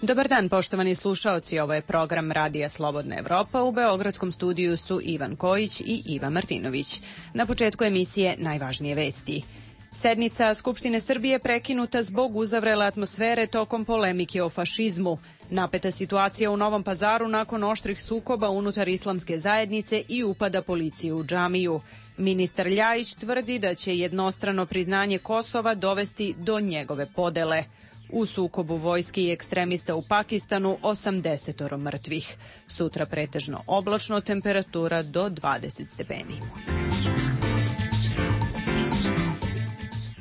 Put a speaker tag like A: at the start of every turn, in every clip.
A: Dobar dan, poštovani slušaoci, ovo je program Radija Slobodna Evropa. U beogradskom studiju su Ivan Kojić i Iva Martinović. Na početku emisije najvažnije vesti. Sednica Skupštine Srbije prekinuta zbog uzavrele atmosfere tokom polemike o fašizmu. Napeta situacija u Novom Pazaru nakon oštrih sukoba unutar islamske zajednice i upada policije u džamiju. Ministar Ljajić tvrdi da će jednostrano priznanje Kosova dovesti do njegove podele. U sukobu vojske i ekstremista u Pakistanu 80 mrtvih. Sutra pretežno oblačno, temperatura do 20 stepeni.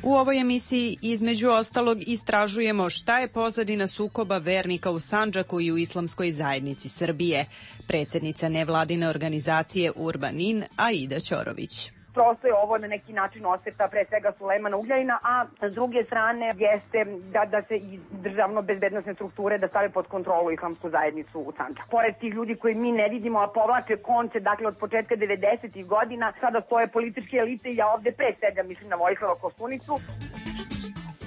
A: U ovoj emisiji između ostalog istražujemo šta je pozadina sukoba vernika u Sandžaku i u islamskoj zajednici Srbije. Predsjednica nevladine organizacije Urbanin, Aida Ćorović.
B: Prosto je ovo na neki način osveta pre svega Sulejmana Ugljajina, a s druge strane jeste da se i državno bezbednosne strukture da stave pod kontrolu islamsku zajednicu u Sandžaku. Pored tih ljudi koji mi ne vidimo, a povlače konce, dakle od početka 90-ih godina, sada stoje političke elite i ja ovde pre svega mislim na Vojislava Koštunicu.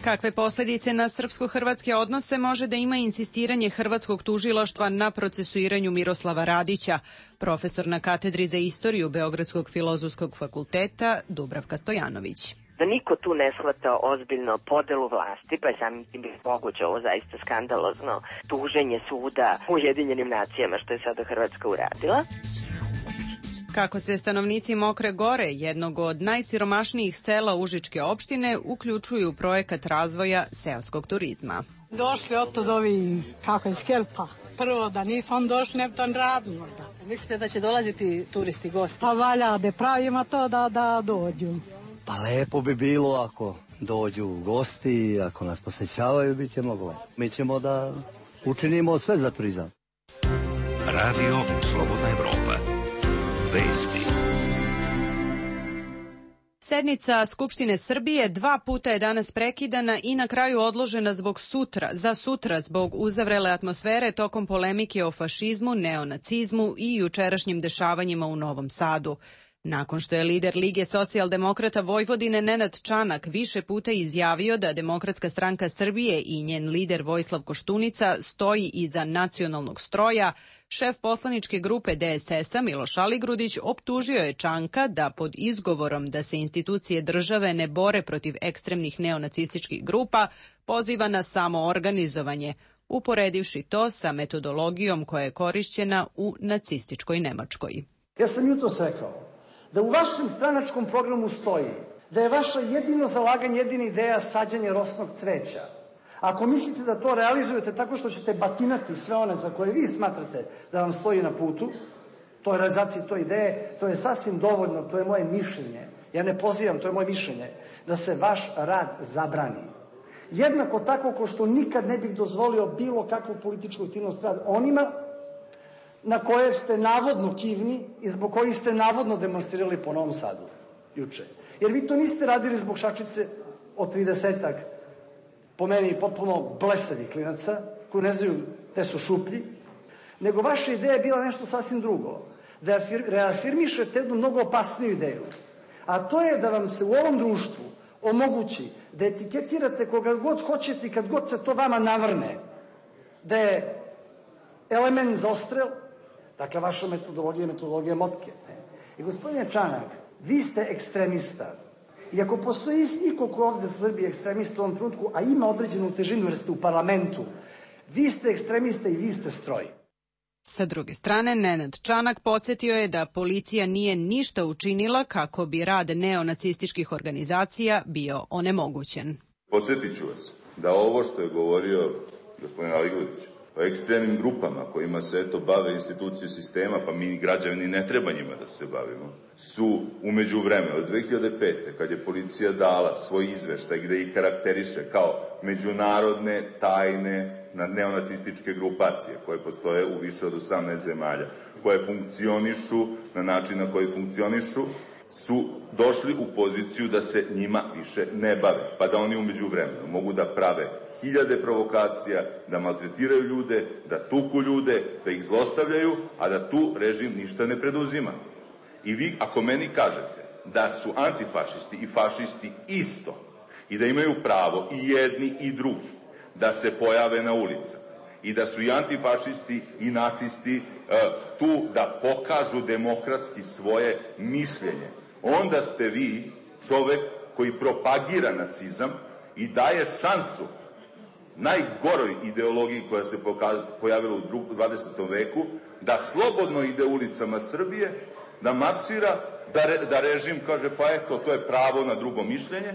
A: Kakve posledice na srpsko-hrvatske odnose može da ima insistiranje hrvatskog tužilaštva na procesuiranju Miroslava Radića? Profesor na katedri za istoriju Beogradskog filozofskog fakulteta Dubravka Stojanović.
C: Da niko tu ne shvata ozbiljno podelu vlasti, pa je samim tim moguće ovo zaista skandalozno tuženje suda u Ujedinjenim nacijama, što je sada Hrvatska uradila.
A: Kako se stanovnici Mokre Gore, jednog od najsiromašnijih sela Užičke opštine, uključuju u projekat razvoja seoskog turizma.
D: Došli od ovi, kako je, Skelpa. Prvo da nisam došli, ne bi to radili možda.
E: Mislite da će dolaziti turisti, gosti?
D: Pa valja da pravimo to da dođu.
F: Pa lepo bi bilo ako dođu gosti, ako nas posećavaju, bit će moglo. Mi ćemo da učinimo sve za turizam.
G: Radio Slobodna Evropa. Vesti.
A: Sednica Skupštine Srbije 2 puta je danas prekidana i na kraju odložena za sutra zbog uzavrele atmosfere tokom polemike o fašizmu, neonacizmu i jučerašnjim dešavanjima u Novom Sadu. Nakon što je lider Lige socijaldemokrata Vojvodine Nenad Čanak više puta izjavio da Demokratska stranka Srbije i njen lider Vojislav Koštunica stoji iza nacionalnog stroja, šef poslaničke grupe DSS-a Miloš Aligrudić optužio je Čanka da pod izgovorom da se institucije države ne bore protiv ekstremnih neonacističkih grupa poziva na samoorganizovanje, uporedivši to sa metodologijom koja je korišćena u nacističkoj Nemačkoj.
H: Ja sam jutros rekao da u vašem stranačkom programu stoji da je vaša jedino zalaganje, jedina ideja sađanje rosnog cveća. Ako mislite da to realizujete tako što ćete batinati sve one za koje vi smatrate da vam stoji na putu, to je realizacija to ideje, to je sasvim dovoljno, to je moje mišljenje. Ja ne pozivam, to je moje mišljenje, da se vaš rad zabrani. Jednako tako ko što nikad ne bih dozvolio bilo kakvu političku aktivnost rad onima na koje ste navodno kivni i zbog kojih ste navodno demonstrirali po Novom Sadu juče. Jer vi to niste radili zbog šačice od 30-ak, po meni potpuno blesavih klinaca, koji ne znaju te su šuplji, nego vaša ideja je bila nešto sasvim drugo. Da reafirmišete jednu mnogo opasniju ideju. A to je da vam se u ovom društvu omogući da etiketirate koga god hoćete i kad god se to vama navrne. Da je element za odstrel. Dakle, vaša metodologija je metodologija motke. I gospodine Čanak, vi ste ekstremista. I ako postoji niko ko ovde Srbije ekstremista u ovom trenutku, a ima određenu težinu jer ste u parlamentu, vi ste ekstremista i vi ste stroj.
A: Sa druge strane, Nenad Čanak podsjetio je da policija nije ništa učinila kako bi rad neonacističkih organizacija bio onemogućen.
I: Podsjetit ću vas da ovo što je govorio gospodin Aligrudić o ekstremnim grupama kojima se bave institucije sistema, pa mi građani ne treba njima da se bavimo, su umeđu vremenu od 2005. kad je policija dala svoj izveštaj gde ih karakteriše kao međunarodne tajne neonacističke grupacije koje postoje u više od 18 zemalja, koje funkcionišu na način na koji funkcionišu, su došli u poziciju da se njima više ne bave, pa da oni umeđu vremenu mogu da prave hiljade provokacija, da maltretiraju ljude, da tuku ljude, da ih zlostavljaju, a da tu režim ništa ne preduzima. I vi, ako meni kažete da su antifašisti i fašisti isto i da imaju pravo i jedni i drugi da se pojave na ulicama i da su i antifašisti i nacisti tu da pokažu demokratski svoje mišljenje. Onda ste vi čovek koji propagira nacizam i daje šansu najgoroj ideologiji koja se pojavila u 20. veku, da slobodno ide ulicama Srbije, da maršira, da režim kaže pa eto, to je pravo na drugo mišljenje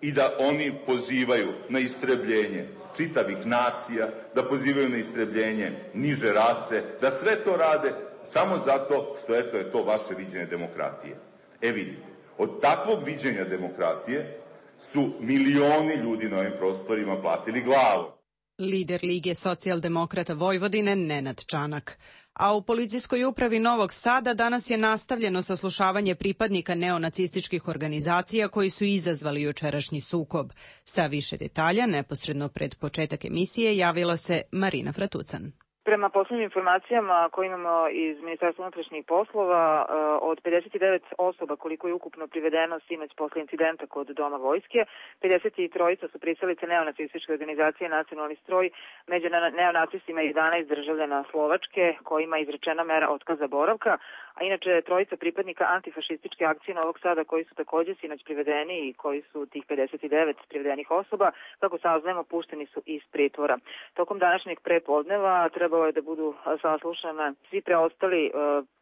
I: i da oni pozivaju na istrebljenje čitavih nacija, da pozivaju na istrebljenje niže rase, da sve to rade samo zato što eto je to vaše viđenje demokratije. Vidite, od takvog viđenja demokratije su milioni ljudi na ovim prostorima platili glavu.
A: Lider Lige socijaldemokrata Vojvodine Nenad Čanak. A u policijskoj upravi Novog Sada danas je nastavljeno saslušavanje pripadnika neonacističkih organizacija koji su izazvali jučerašnji sukob. Sa više detalja, neposredno pred početak emisije, javila se Marina Fratucan.
J: Prema poslednjim informacijama koje imamo iz Ministarstva unutrašnjih poslova, od 59 osoba koliko je ukupno privedeno sinoć posle incidenta kod Doma vojske, 53 su pristalice neonacističke organizacije Nacionalni stroj, među neonacistima 11 državljana Slovačke kojima je izrečena mera otkaza boravka, a inače trojica pripadnika antifašističke akcije Novog Sada koji su takođe sinoć privedeni i koji su tih 59 privedenih osoba, kako saznajemo, pušteni su iz pritvora. Tokom današnjeg prepodneva trebalo je da budu saslušana svi preostali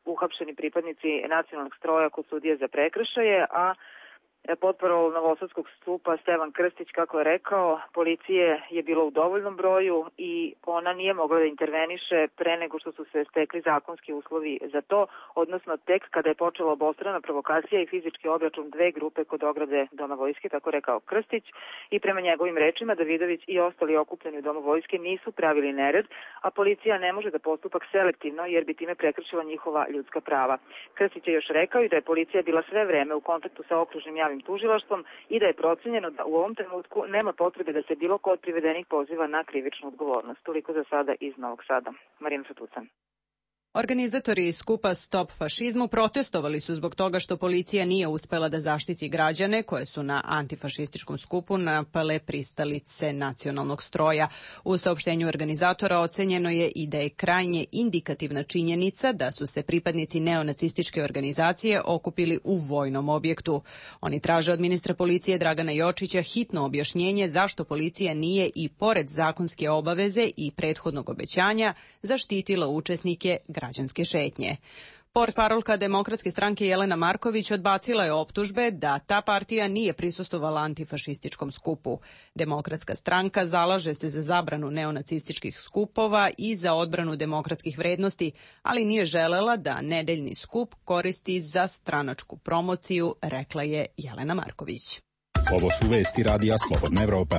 J: uhapšeni pripadnici nacionalnog stroja kod sudije za prekršaje, a potparol Novosadskog stupa Stevan Krstić, kako je rekao, policije je bilo u dovoljnom broju i ona nije mogla da interveniše pre nego što su se stekli zakonski uslovi za to, odnosno tek kada je počela obostrana provokacija i fizički obračun dve grupe kod ograde Doma vojske, tako rekao Krstić, i prema njegovim rečima Davidović i ostali okupljeni u Domu vojske nisu pravili nered, a policija ne može da postupak selektivno jer bi time prekršila njihova ljudska prava. Krstić je još rekao i da je policija bila sve vreme u kontaktu sa okružnim javnim tužilaštvom i da je procenjeno da u ovom trenutku nema potrebe da se bilo ko od privedenih poziva na krivičnu odgovornost. Toliko za sada iz Novog Sada. Marina Fratucan.
A: Organizatori skupa Stop fašizmu protestovali su zbog toga što policija nije uspela da zaštiti građane koje su na antifašističkom skupu napale pristalice nacionalnog stroja. U saopštenju organizatora ocenjeno je i da je krajnje indikativna činjenica da su se pripadnici neonacističke organizacije okupili u vojnom objektu. Oni traže od ministra policije Dragana Jočića hitno objašnjenje zašto policija nije i pored zakonske obaveze i prethodnog obećanja zaštitila učesnike građanske šetnje. Portparolka Demokratske stranke Jelena Marković odbacila je optužbe da ta partija nije prisustvovala antifašističkom skupu. Demokratska stranka zalaže se za zabranu neonacističkih skupova i za odbranu demokratskih vrednosti, ali nije želela da nedeljni skup koristi za stranačku promociju, rekla je Jelena Marković.
K: Ovo su vesti Radija Slobodna Evropa.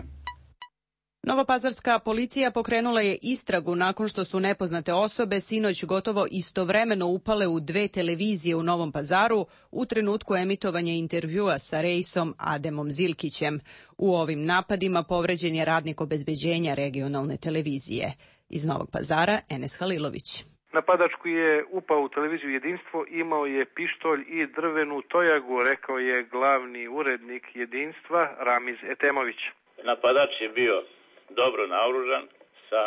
A: Novopazarska policija pokrenula je istragu nakon što su nepoznate osobe sinoć gotovo istovremeno upale u dve televizije u Novom Pazaru u trenutku emitovanja intervjua sa Rejsom Ademom Zilkićem. U ovim napadima povređen je radnik obezbeđenja regionalne televizije. Iz Novog Pazara, Enes Halilović.
L: Napadač koji je upao u televiziju Jedinstvo imao je pištolj i drvenu tojagu, rekao je glavni urednik Jedinstva Ramiz Etemović.
M: Napadač je bio dobro naoružan, sa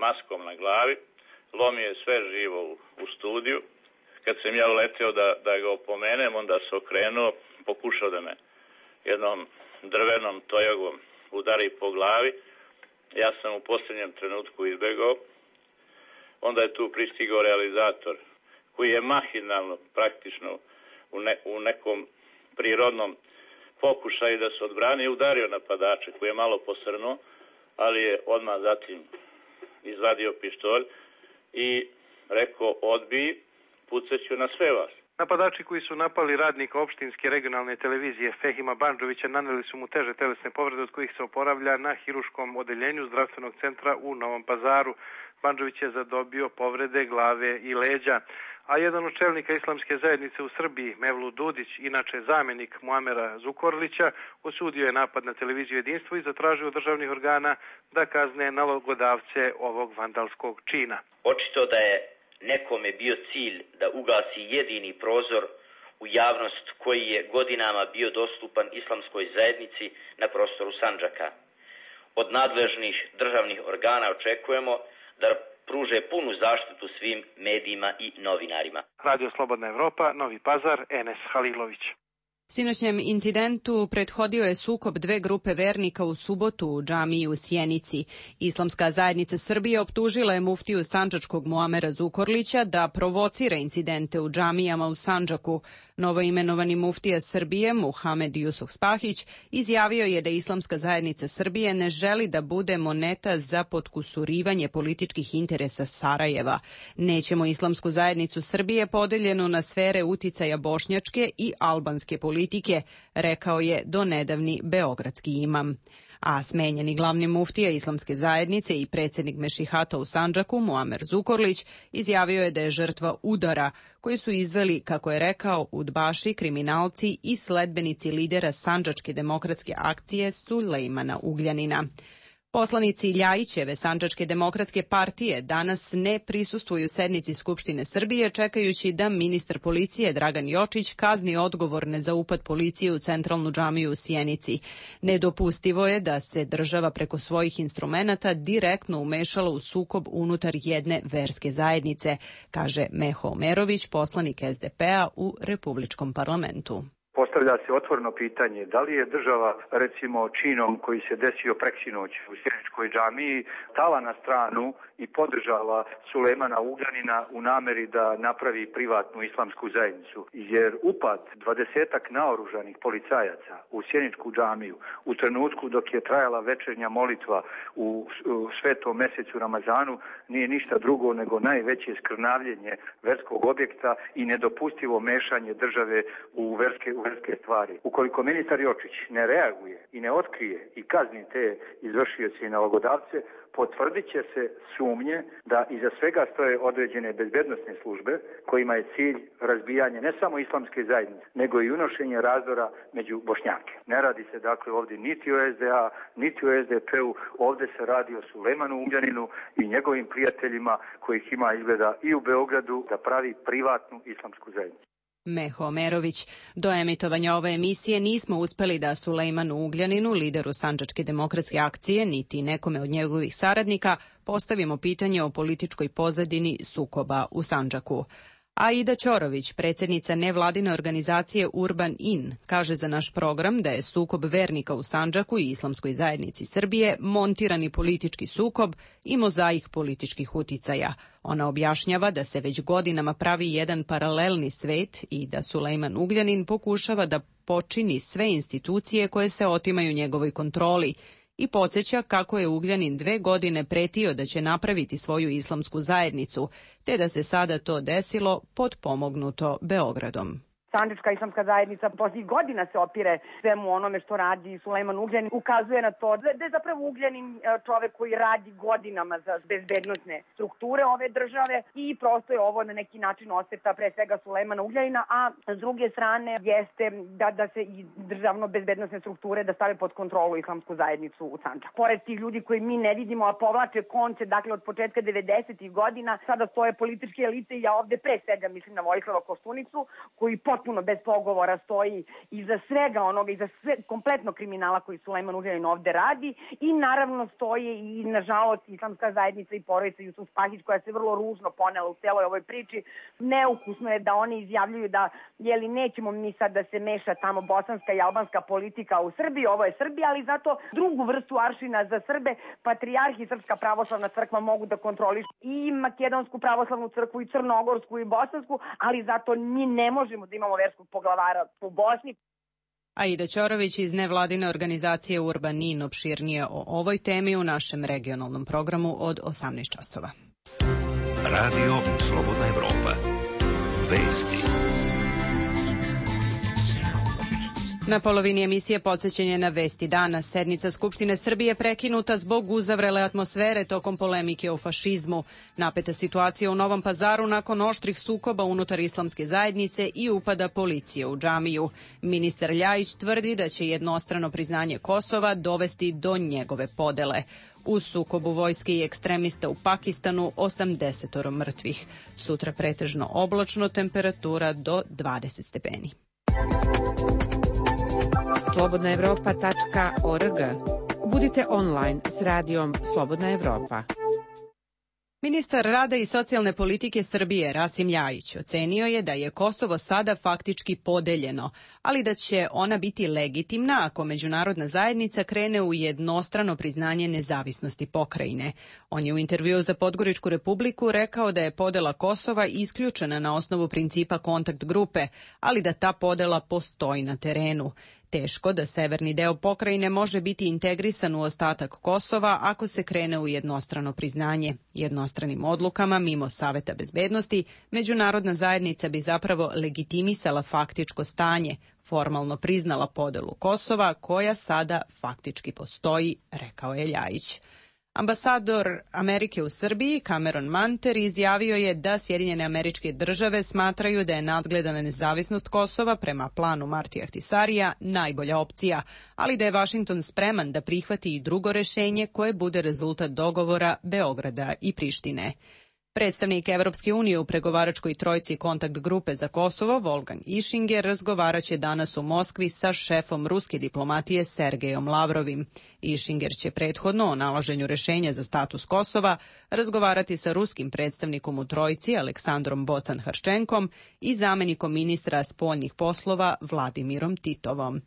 M: maskom na glavi, lomio je sve živo u studiju. Kad sam ja uleteo da ga opomenem, onda se okrenuo, pokušao da me jednom drvenom tojagom udari po glavi. Ja sam u posljednjem trenutku izbegao. Onda je tu pristigao realizator, koji je mahinalno, praktično u nekom prirodnom pokušaju da se odbrani, udario napadača koji je malo posrnuo, ali je odmah zatim izvadio pištolj i rekao odbij, pucaću na sve vas.
L: Napadači koji su napali radnika opštinske regionalne televizije Fehima Bandžovića naneli su mu teže telesne povrede od kojih se oporavlja na hiruškom odeljenju zdravstvenog centra u Novom Pazaru. Bandžović je zadobio povrede glave i leđa. A jedan od čelnika islamske zajednice u Srbiji, Mevlut Dudić, inače zamenik Muamera Zukorlića, osudio je napad na televiziju Jedinstvo i zatražio od državnih organa da kazne nalogodavce ovog vandalskog čina.
N: Očito da je nekome bio cilj da ugasi jedini prozor u javnost koji je godinama bio dostupan islamskoj zajednici na prostoru Sandžaka. Od nadležnih državnih organa očekujemo da pruže punu zaštitu svim medijima i novinarima.
L: Radio Slobodna Evropa, Novi Pazar, Enes Halilović.
A: Sinoćnjem incidentu prethodio je sukob dve grupe vernika u subotu u džamiji u Sjenici. Islamska zajednica Srbije optužila je muftiju sandžačkog Muamera Zukorlića da provocira incidente u džamijama u Sandžaku. Novoimenovani muftija Srbije, Muhamed Jusuf Spahić, izjavio je da Islamska zajednica Srbije ne želi da bude moneta za potkusurivanje političkih interesa Sarajeva. Nećemo Islamsku zajednicu Srbije podeljenu na sfere uticaja bošnjačke i albanske politike, rekao je donedavni beogradski imam. A smenjeni glavni muftija Islamske zajednice i predsjednik Mešihata u Sandžaku, Muamer Zukorlić, izjavio je da je žrtva udara koji su izveli, kako je rekao, udbaši, kriminalci i sledbenici lidera Sandžačke demokratske akcije Sulejmana Ugljanina. Poslanici Ljajićeve Sandžačke demokratske partije danas ne prisustvuju sednici Skupštine Srbije, čekajući da ministar policije Dragan Jočić kazni odgovorne za upad policije u centralnu džamiju u Sjenici. Nedopustivo je da se država preko svojih instrumenata direktno umešala u sukob unutar jedne verske zajednice, kaže Meho Omerović, poslanik SDP-a u Republičkom parlamentu.
O: Postavlja se otvoreno pitanje da li je država, recimo činom koji se desio preksinoć u Sjeničkoj džamiji, stala na stranu i podržala Sulejmana Ugljanina u nameri da napravi privatnu islamsku zajednicu. Jer upad 20-ak naoružanih policajaca u Sjeničku džamiju u trenutku dok je trajala večernja molitva u svetom mesecu Ramazanu nije ništa drugo nego najveće skrnavljenje verskog objekta i nedopustivo mešanje države u verske stvari. Ukoliko ministar Jočić ne reaguje i ne otkrije i kazni te izvršioce i nalogodavce, potvrdit će se sumnje da iza svega stoje određene bezbednosne službe kojima je cilj razbijanje ne samo islamske zajednice, nego i unošenje razdora među Bošnjake. Ne radi se dakle ovdje niti o SDA, niti o SDP-u, ovdje se radi o Sulejmanu Ugljaninu i njegovim prijateljima kojih ima izgleda i u Beogradu da pravi privatnu islamsku zajednicu.
A: Meho Omerović. Do emitovanja ove emisije nismo uspeli da Sulejmanu Ugljaninu, lideru Sandžačke demokratske akcije, niti nekome od njegovih saradnika, postavimo pitanje o političkoj pozadini sukoba u Sandžaku. Aida Ćorović, predsjednica nevladine organizacije Urban In, kaže za naš program da je sukob vernika u Sandžaku i Islamskoj zajednici Srbije montirani politički sukob i mozaik političkih uticaja. Ona objašnjava da se već godinama pravi jedan paralelni svet i da Sulejman Ugljanin pokušava da počini sve institucije koje se otimaju njegovoj kontroli, i podsjeća kako je Ugljanin 2 godine pretio da će napraviti svoju islamsku zajednicu, te da se sada to desilo potpomognuto Beogradom.
B: Sandžačka islamska zajednica posljednjih godina se opire svemu onome što radi Sulejman Ugljanin. Ukazuje na to da je zapravo Ugljanin čovek koji radi godinama za bezbednosne strukture ove države i prosto je ovo na neki način osveta pre svega Sulejmana Ugljanina, a s druge strane jeste da se i državno bezbednosne strukture da stave pod kontrolu islamsku zajednicu u Sandžaku. Pored tih ljudi koji mi ne vidimo, a povlače konce, dakle od početka 90-ih godina, sada stoje političke elite i ja ovde pre svega mislim na Vojislava Koštunicu, koji potpuno bez pogovora stoji iza svega onoga, iza kompletno kriminala koji Sulejman Ugljanin ovde radi i naravno stoji i nažalost Islamska zajednica i porodica Jusuf Spahić koja se vrlo ružno ponela u celoj ovoj priči. Neukusno je da oni izjavljuju da nećemo mi sad da se meša tamo bosanska i albanska politika u Srbiji, ovo je Srbija, ali zato drugu vrstu aršina za Srbe, patrijarh i Srpska pravoslavna crkva mogu da kontrolišu i Makedonsku pravoslavnu crkvu i Crnogorsku i Bosansku, ali zato mi ne možemo da imamo verskog poglavara u Bosni.
A: Aida Ćorović iz nevladine organizacije Urban In opširnije o ovoj temi u našem regionalnom programu od 18 časova.
G: Radio Slobodna Evropa. Vesti.
A: Na polovini emisije podsjećanje na vesti dana. Sednica Skupštine Srbije prekinuta zbog uzavrele atmosfere tokom polemike o fašizmu. Napeta situacija u Novom Pazaru nakon oštrih sukoba unutar islamske zajednice i upada policije u džamiju. Ministar Ljajić tvrdi da će jednostrano priznanje Kosova dovesti do njegove podele. U sukobu vojske i ekstremista u Pakistanu 80 mrtvih. Sutra pretežno oblačno, temperatura do 20 stepeni.
P: slobodnaevropa.org. Budite online s radijom Slobodna Evropa.
A: Ministar rada i socijalne politike Srbije Rasim Ljajić ocenio je da je Kosovo sada faktički podeljeno, ali da će ona biti legitimna ako međunarodna zajednica krene u jednostrano priznanje nezavisnosti pokrajine. On je u intervjuu za Podgoričku Republiku rekao da je podela Kosova isključena na osnovu principa kontakt grupe, ali da ta podela postoji na terenu. Teško da severni deo pokrajine može biti integrisan u ostatak Kosova ako se krene u jednostrano priznanje. Jednostranim odlukama, mimo Saveta bezbednosti, međunarodna zajednica bi zapravo legitimisala faktičko stanje, formalno priznala podelu Kosova, koja sada faktički postoji, rekao je Ljajić. Ambasador Amerike u Srbiji, Cameron Manter, izjavio je da Sjedinjene Američke Države smatraju da je nadgledana nezavisnost Kosova prema planu Martija Ahtisarija najbolja opcija, ali da je Vašington spreman da prihvati i drugo rešenje koje bude rezultat dogovora Beograda i Prištine. Predstavnik Evropske unije u pregovaračkoj trojci kontakt grupe za Kosovo, Volgan Ischinger, razgovaraće danas u Moskvi sa šefom ruske diplomatije Sergejom Lavrovim. Ischinger će prethodno o nalaženju rešenja za status Kosova razgovarati sa ruskim predstavnikom u trojci Aleksandrom Bocan-Harčenkom i zamenikom ministra spoljnih poslova Vladimirom Titovom.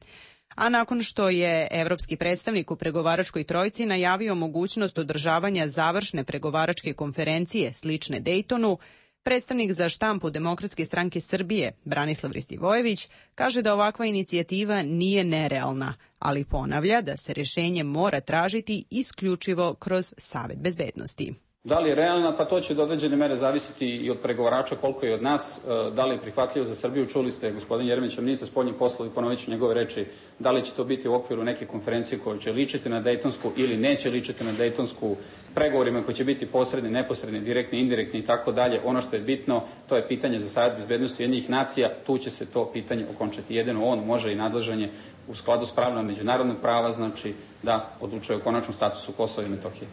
A: A nakon što je evropski predstavnik u pregovaračkoj trojci najavio mogućnost održavanja završne pregovaračke konferencije slične Dejtonu, predstavnik za štampu Demokratske stranke Srbije, Branislav Ristivojević, kaže da ovakva inicijativa nije nerealna, ali ponavlja da se rešenje mora tražiti isključivo kroz Savet bezbednosti.
P: Da li je realna? Pa to će do određene mere zavisiti i od pregovarača, koliko je od nas, da li je prihvatljivo za Srbiju. Čuli ste gospodin Jeremića, ministar spoljnih poslova, i ponovit ću njegove reči, da li će to biti u okviru neke konferencije koja će ličiti na Dejtonsku ili neće ličiti na Dejtonsku, pregovorima koji će biti posredni, neposredni, direktni, indirektni i tako dalje. Ono što je bitno, to je pitanje za Savet bezbednosti Ujedinjenih nacija, tu će se to pitanje okončati. Jedino on može i nadležan je u skladu s pravilima međunarodnog prava, znači da odlučuje o konačnom statusu Kosova i Metohije.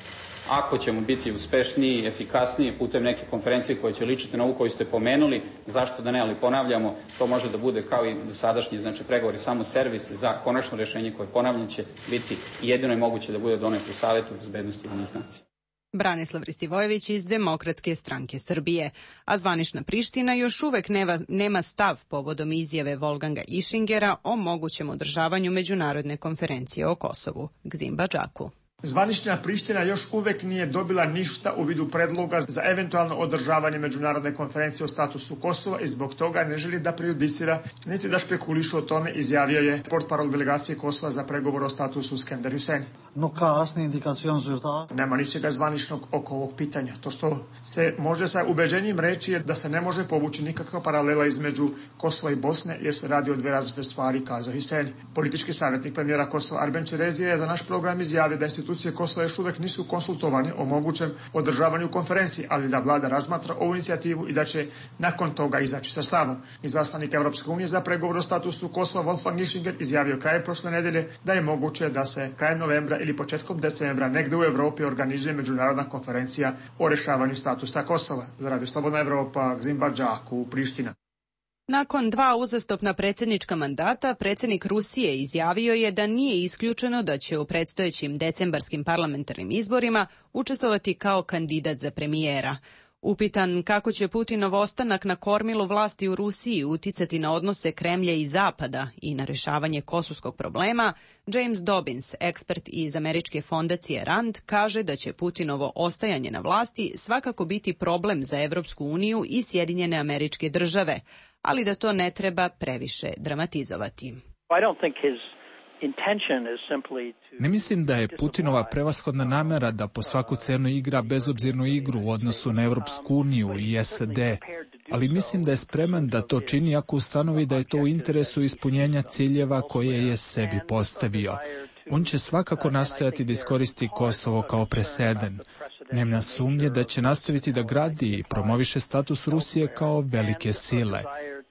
P: Ako ćemo biti uspešniji, efikasniji putem neke konferencije koje će ličiti na ovu koju ste pomenuli, zašto da ne, ali ponavljamo, to može da bude kao i dosadašnji, znači pregovori, samo servis za konačno rešenje koje, ponavljam, će biti jedino je moguće da bude donet u Savetu bezbednosti Ujedinjenih nacija.
A: Branislav Ristivojević iz Demokratske stranke Srbije, a zvanična Priština još uvek nema stav povodom izjave Volganga Ischingera o mogućem održavanju međunarodne konferencije o Kosovu. Gzim Badžaku.
Q: Zvanična Priština još uvek nije dobila ništa u vidu predloga za eventualno održavanje međunarodne konferencije o statusu Kosova i zbog toga ne želi da prejudicira niti da špekuliše o tome, izjavio je portparol delegacije Kosova za pregovor o statusu Skender Hussein. Nema ničega zvaničnog oko ovog pitanja. To što se može sa ubeđenjem reći je da se ne može povući nikakva paralela između Kosova i Bosne jer se radi o dve različite stvari, kazao Hussein. Politički savjetnik premijera Kosova Arben Čerezija je za naš program izjavio da institucije Kosova još uvek nisu konsultovane o mogućem održavanju konferencije, ali da vlada razmatra ovu inicijativu i da će nakon toga izaći sa stavom. Izaslanik Evropske unije za pregovor o statusu Kosova Wolfgang Ischinger izjavio krajem prošle nedelje da je moguće da se krajem novembra ili početkom decembra negde u Evropi organizuje međunarodna konferencija o rešavanju statusa Kosova. Za Radio Slobodna Evropa, Gzim Badžaku, Priština.
A: Nakon 2 uzastopna predsjednička mandata, predsjednik Rusije izjavio je da nije isključeno da će u predstojećim decembarskim parlamentarnim izborima učestvovati kao kandidat za premijera. Upitan kako će Putinov ostanak na kormilu vlasti u Rusiji uticati na odnose Kremlja i Zapada i na rešavanje kosovskog problema, James Dobbins, ekspert iz američke fondacije RAND, kaže da će Putinovo ostajanje na vlasti svakako biti problem za Evropsku uniju i Sjedinjene Američke Države, ali da to ne treba previše dramatizovati.
R: Ne mislim da je Putinova prevashodna namera da po svaku cenu igra bezobzirnu igru u odnosu na Evropsku uniju i SAD, ali mislim da je spreman da to čini ako ustanovi da je to u interesu ispunjenja ciljeva koje je sebi postavio. On će svakako nastojati da iskoristi Kosovo kao preseden. Nema sumnje da će nastaviti da gradi i promoviše status Rusije kao velike sile.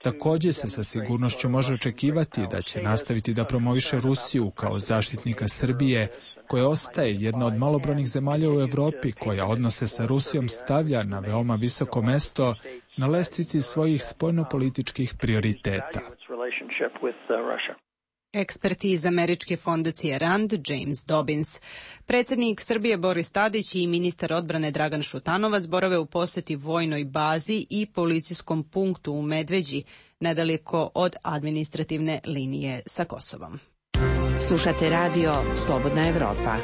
R: Također se sa sigurnošću može očekivati da će nastaviti da promoviše Rusiju kao zaštitnika Srbije, koja ostaje jedna od malobrojnih zemalja u Evropi koja odnose sa Rusijom stavlja na veoma visoko mesto na lestvici svojih spoljnopolitičkih prioriteta.
A: Ekspert iz američke fondacije RAND, James Dobbins. Predsjednik Srbije Boris Tadić i ministar odbrane Dragan Šutanovac borave u poseti vojnoj bazi i policijskom punktu u Medveđi, nedaleko od administrativne linije sa Kosovom.
S: Slušate radio Slobodna Evropa.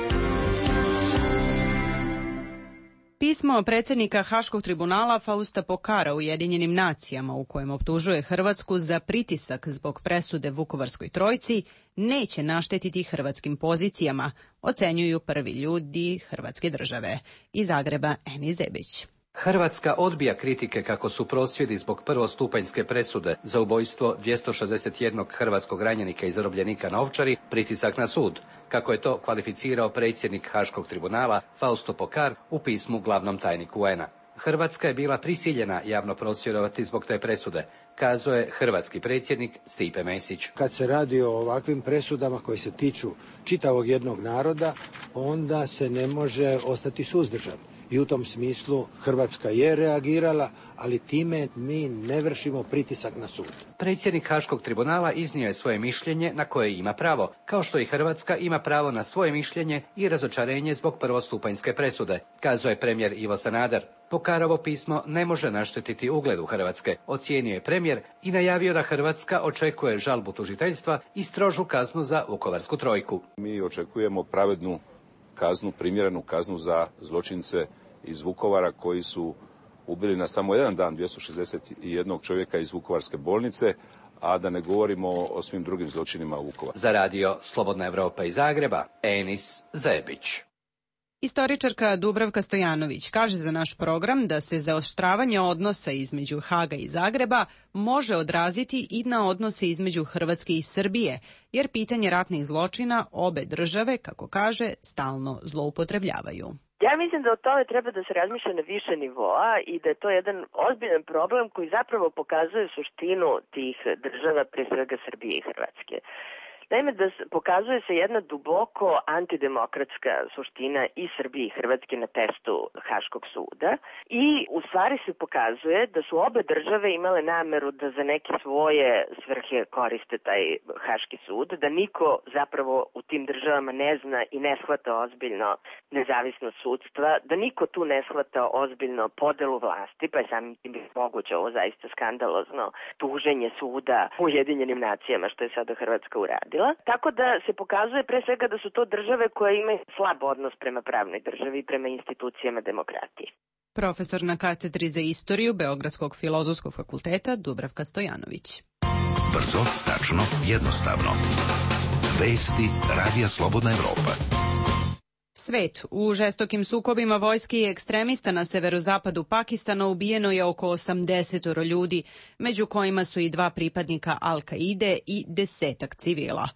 A: Pismo predsjednika Haškog tribunala Fausta Pokara Ujedinjenim nacijama u kojem optužuje Hrvatsku za pritisak zbog presude Vukovarskoj trojci neće naštetiti hrvatskim pozicijama, ocenjuju prvi ljudi Hrvatske države. Iz Zagreba Eni Zebić.
T: Hrvatska odbija kritike kako su prosvjedi zbog prvostupanjske presude za ubojstvo 261 hrvatskog ranjenika i zarobljenika na Ovčari pritisak na sud, kako je to kvalificirao predsjednik Haškog tribunala Fausto Pokar u pismu glavnom tajniku UN-a. Hrvatska je bila prisiljena javno prosvjedovati zbog te presude, kazao je hrvatski predsjednik Stipe Mesić.
U: Kad se radi o ovakvim presudama koji se tiču čitavog jednog naroda, onda se ne može ostati suzdržan. I u tom smislu Hrvatska je reagirala, ali time mi ne vršimo pritisak na sud.
T: Predsjednik Haškog tribunala iznio je svoje mišljenje na koje ima pravo, kao što i Hrvatska ima pravo na svoje mišljenje i razočarenje zbog prvostupanjske presude, kazao je premijer Ivo Sanader. Pokarovo pismo ne može naštetiti ugledu Hrvatske, ocijenio je premijer i najavio da Hrvatska očekuje žalbu tužiteljstva i strožu kaznu za Vukovarsku trojku.
V: Mi očekujemo pravednu kaznu, primjerenu kaznu za zločince iz Vukovara koji su ubili na samo jedan dan 261 čovjeka iz Vukovarske bolnice, a da ne govorimo o svim drugim zločinima u Vukovaru.
T: Za radio Slobodna Evropa iz Zagreba, Enis Zebić.
A: Istoričarka Dubravka Stojanović kaže za naš program da se zaoštravanje odnosa između Haga i Zagreba može odraziti i na odnose između Hrvatske i Srbije, jer pitanje ratnih zločina obe države, kako kaže, stalno zloupotrebljavaju.
C: Ja mislim da o tome treba da se razmišlja na više nivoa i da je to jedan ozbiljan problem koji zapravo pokazuje suštinu tih država, pre svega Srbije i Hrvatske. Naime, da pokazuje se jedna duboko antidemokratska suština i Srbije i Hrvatske na testu Haškog suda i u stvari se pokazuje da su obe države imale nameru da za neke svoje svrhe koriste taj Haški sud, da niko zapravo u tim državama ne zna i ne shvata ozbiljno nezavisnost sudstva, da niko tu ne shvata ozbiljno podelu vlasti, pa je samim tim moguće ovo zaista skandalozno tuženje suda u Ujedinjenim nacijama, što je sada Hrvatska uradila. Tako da se pokazuje pre svega da su to države koje imaju slab odnos prema pravnoj državi i prema institucijama demokratije.
A: Profesor na katedri za istoriju Beogradskog filozofskog fakulteta Dubravka Stojanović.
G: Brzo, tačno, jednostavno. Vesti Radija Slobodna Evropa.
A: Svet. U žestokim sukobima vojske i ekstremista na severozapadu Pakistana ubijeno je oko 80 ljudi, među kojima su i 2 pripadnika Al-Kaide i 10 civila.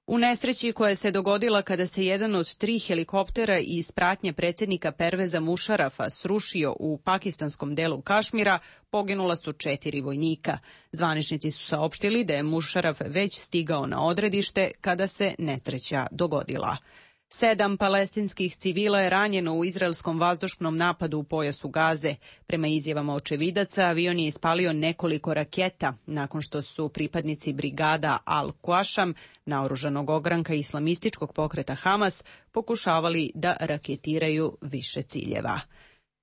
A: U nesreći koja se dogodila kada se jedan od 3 helikoptera iz pratnje predsjednika Perveza Mušarafa srušio u pakistanskom delu Kašmira, poginula su 4 vojnika. Zvaničnici su saopštili da je Mušaraf već stigao na odredište kada se nesreća dogodila. 7 palestinskih civila je ranjeno u izraelskom vazdušnom napadu u pojasu Gaze. Prema izjavama očevidaca, avion je ispalio nekoliko raketa nakon što su pripadnici brigada Al-Quasham, naoružanog ogranka islamističkog pokreta Hamas, pokušavali da raketiraju više ciljeva.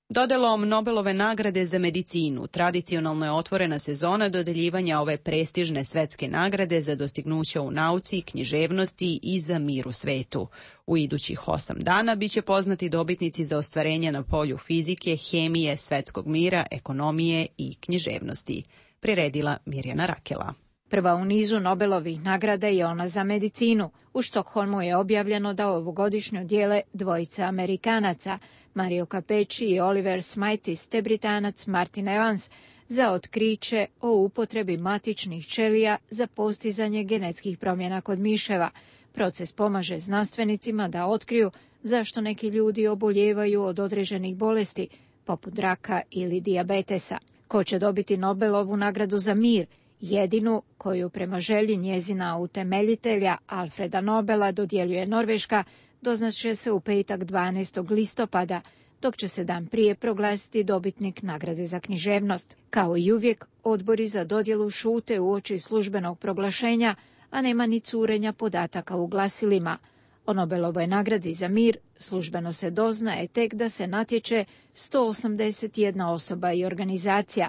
A: Dodelom Nobelove nagrade za medicinu tradicionalno je otvorena sezona dodeljivanja ove prestižne svetske nagrade za dostignuća u nauci, književnosti i za mir u svetu. U idućih 8 dana biće poznati dobitnici za ostvarenje na polju fizike, hemije, svetskog mira, ekonomije i književnosti. Priredila Mirjana Rakela.
W: Prva u nizu Nobelovih nagrada je ona za medicinu. U Štokholmu je objavljeno da ovogodišnju dijele dvojica Amerikanaca, Mario Capecci i Oliver Smitis, te Britanac Martin Evans, za otkriće o upotrebi matičnih ćelija za postizanje genetskih promjena kod miševa. Proces pomaže znanstvenicima da otkriju zašto neki ljudi oboljevaju od određenih bolesti, poput raka ili dijabetesa. Ko će dobiti Nobelovu nagradu za mir, jedinu koju prema želji njezina utemeljitelja Alfreda Nobela dodjeljuje Norveška, doznaće se u petak 12. listopada, dok će se dan prije proglasiti dobitnik nagrade za književnost. Kao i uvijek, odbori za dodjelu šute uoči službenog proglašenja, a nema ni curenja podataka u glasilima. O Nobelovoj nagradi za mir službeno se doznaje tek da se natječe 181 osoba i organizacija.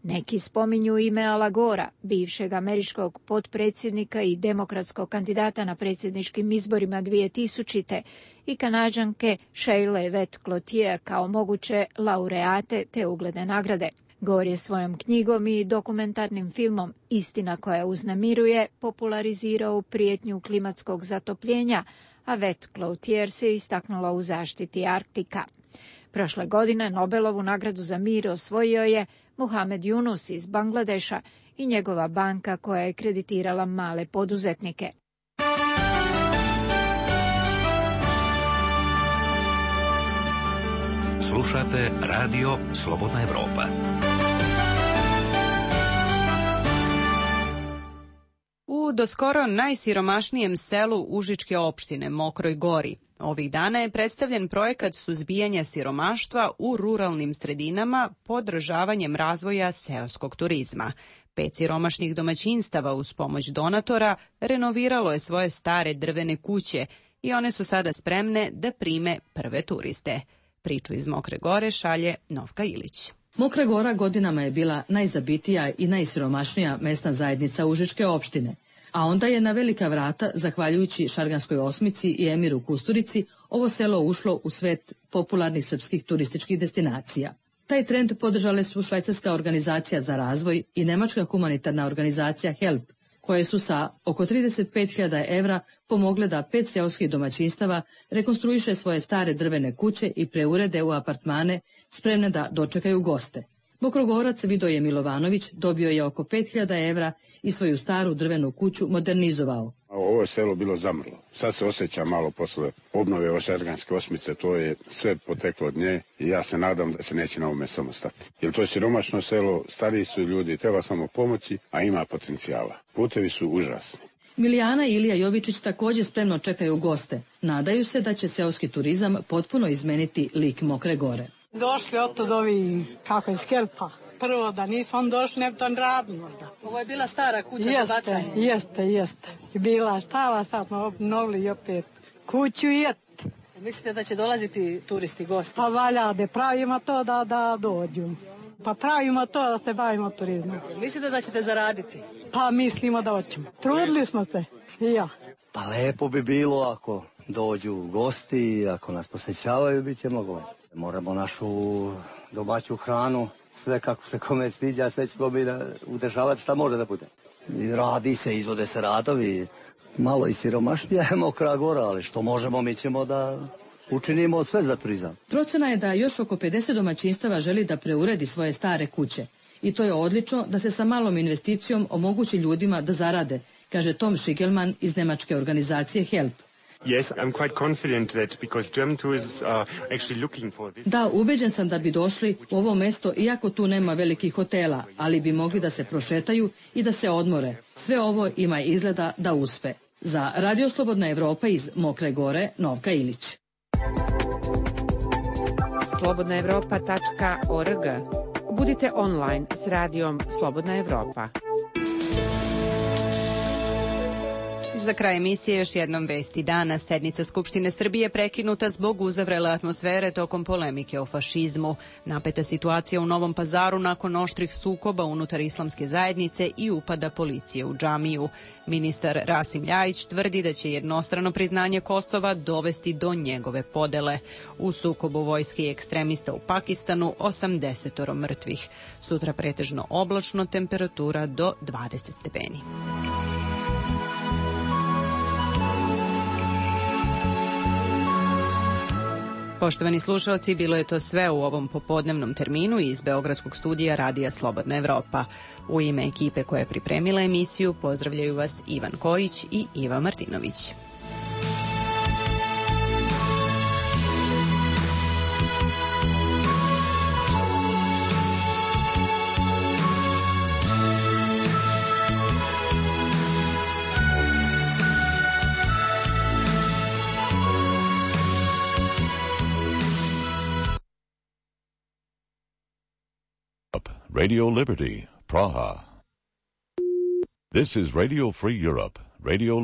W: Neki spominju ime Ala Gora, bivšeg američkog potpredsjednika i demokratskog kandidata na predsjedničkim izborima 2000. i Kanađanke Sheila Yvette Cloutier kao moguće laureate te ugledne nagrade. Gore je svojom knjigom i dokumentarnim filmom Istina koja uznemiruje popularizirao prijetnju klimatskog zatopljenja, a Yvette Cloutier se istaknula u zaštiti Arktika. Prošle godine Nobelovu nagradu za mir osvojio je Muhamed Yunus iz Bangladeša i njegova banka koja je kreditirala male poduzetnike.
G: Slušate Radio Slobodna Evropa.
A: U doskoro najsiromašnijem selu Užičke opštine, Mokroj Gori, ovih dana je predstavljen projekat suzbijanja siromaštva u ruralnim sredinama podržavanjem razvoja seoskog turizma. 5 siromašnih domaćinstava uz pomoć donatora renoviralo je svoje stare drvene kuće i one su sada spremne da prime prve turiste. Priču iz Mokre Gore šalje Novka Ilić.
D: Mokra Gora godinama je bila najzabitija i najsiromašnija mesna zajednica Užičke opštine, a onda je na velika vrata, zahvaljujući Šarganskoj osmici i Emiru Kusturici, ovo selo ušlo u svet popularnih srpskih turističkih destinacija. Taj trend podržale su Švajcarska organizacija za razvoj i Nemačka humanitarna organizacija HELP, koje su sa oko 35.000 evra pomogle da 5 seoskih domaćinstava rekonstruiše svoje stare drvene kuće i preurede u apartmane spremne da dočekaju goste. Mokrogorac Vidoje Milovanović dobio je oko 5.000 evra i svoju staru drvenu kuću modernizovao.
E: Ovo je selo bilo zamrlo. Sad se osjeća malo posle obnove ove Šarganske osmice, to je sve poteklo od nje i ja se nadam da se neće na ovome samo stati. Jer to je siromašno selo, stariji su ljudi, treba samo pomoći, a ima potencijala. Putevi su užasni.
D: Milijana i Ilija Jovičić također spremno čekaju goste. Nadaju se da će seoski turizam potpuno izmeniti lik Mokre Gore.
F: Došli od ovi, kako je Skelpa. Prvo da nisu on došli, ne bi to radili možda.
D: Ovo je bila stara kuća za bacanje.
F: Jeste. Bila stara, sad smo obnovili opet kuću i et.
D: Mislite da će dolaziti turisti, gosti?
F: Pa valja da pravimo to da dođu. Pa pravimo to da se bavimo turizmom.
D: Mislite da ćete zaraditi?
F: Pa mislimo da hoćemo. Trudili smo se i ja.
X: Pa lepo bi bilo ako dođu gosti, ako nas posjećavaju, bit će mnogo. Moramo našu domaću hranu, sve kako se kome sviđa, sve ćemo mi udržavati šta može da bude. Radi se, izvode se radovi, malo i siromašnija je Mokra Gora, ali što možemo, mi ćemo da učinimo sve za turizam.
D: Procena je da još oko 50 domaćinstava želi da preuredi svoje stare kuće. I to je odlično da se sa malom investicijom omogući ljudima da zarade, kaže Tom Schigelman iz nemačke organizacije HELP. Da, ubeđen sam da bi došli u ovo mesto, iako tu nema velikih hotela, ali bi mogli da se prošetaju i da se odmore. Sve ovo ima izgleda da uspe. Za Radio Slobodna Evropa iz Mokre Gore, Novka Ilić.
S: slobodnaevropa.org. Budite online s radijom Slobodna Evropa.
A: Za kraj emisije još jednom vesti dana. Sednica Skupštine Srbije prekinuta zbog uzavrele atmosfere tokom polemike o fašizmu. Napeta situacija u Novom Pazaru nakon oštrih sukoba unutar islamske zajednice i upada policije u džamiju. Ministar Rasim Ljajić tvrdi da će jednostrano priznanje Kosova dovesti do njegove podele. U sukobu vojske i ekstremista u Pakistanu 80 mrtvih. Sutra pretežno oblačno, temperatura do 20 stepeni. Poštovani slušalci, bilo je to sve u ovom popodnevnom terminu iz Beogradskog studija Radija Slobodna Evropa. U ime ekipe koja je pripremila emisiju pozdravljaju vas Ivan Kojić i Iva Martinović.
Y: Radio Liberty, Praha. This is Radio Free Europe,
H: Radio